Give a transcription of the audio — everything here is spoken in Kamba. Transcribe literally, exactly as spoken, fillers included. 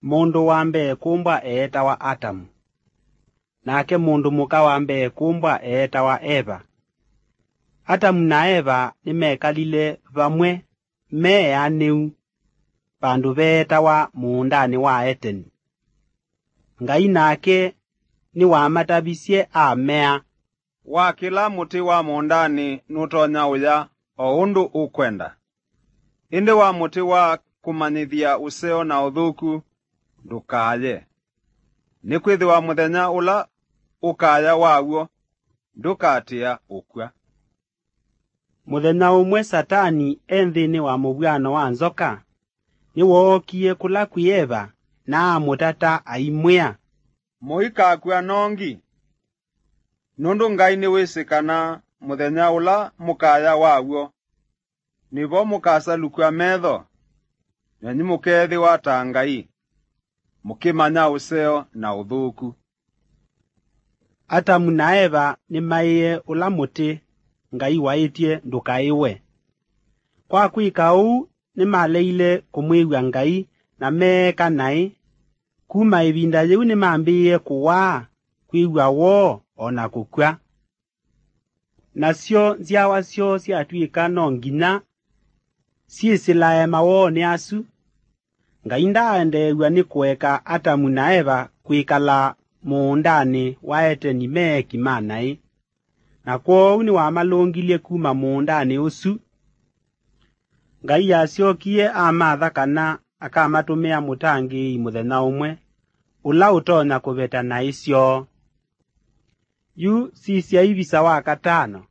Mũndũ wa mbee kũmbwa eetawa Atamu, nake mũndũ mũka wa mbee kũmbwa eetawa Eva. Atamu na Eva nĩmekalile vamwe me eanĩu vandũ veetawa mũũndanĩ wa Eteni. Ngai nake nĩwamatavisye amea, "Wa kĩla mũtĩ wa mũũndanĩ nũtonya ũya o ũndũ ũkwenda, ĩndĩ wa mũtĩ wa kũmanyĩthya ũseo na ũthũku ndũkaye, nĩkwĩthĩwa mũthenya ũla ũkaya waw'o ndũkatĩa ũkw'a." Mũthenya ũmwe Satani e nthĩnĩ wa mũvw'ano wa nzoka, nĩwookie kũla kwĩ Eva na amũtata aimwĩa, "Mũikakw'a nongi, nũndũ Ngai nĩwĩsĩ kana mũthenya ũla mũkaya waw'o, nĩvo mũkasalukw'a metho, nenyu mũkeethĩwa ta Ngai, mũkĩmanya ũseo na ũthũku." Atamu na Eva nĩmaĩe ũla mũtĩ Ngai waĩtye ndũkaĩwe. Kwa kwĩka ũu, nĩmaleile kũmwĩw'a Ngai na meeka naĩ. Kuma ĩvinda yĩu nĩmambĩĩe kũwaa, kwĩw'a woo, o na kũkw'a. Nasyo nzyawa syoo syatw'ĩka no nginya syĩsĩlae mawoonĩ asu. Ngai ndaaendeew'a nĩ kũeka Atamu na Eva kwĩkala mũũndanĩ wa Eteni me eki ma naĩ, na kwoou nĩwamalũngilye kuma mũũndanĩ ũsu. Ngai asyokie amatha kana akamatũmĩa mũtangĩĩi mũthenya ũmwe, ũla ũtonya kũveta naĩ syoo. Yu sisya ivisa wa katano,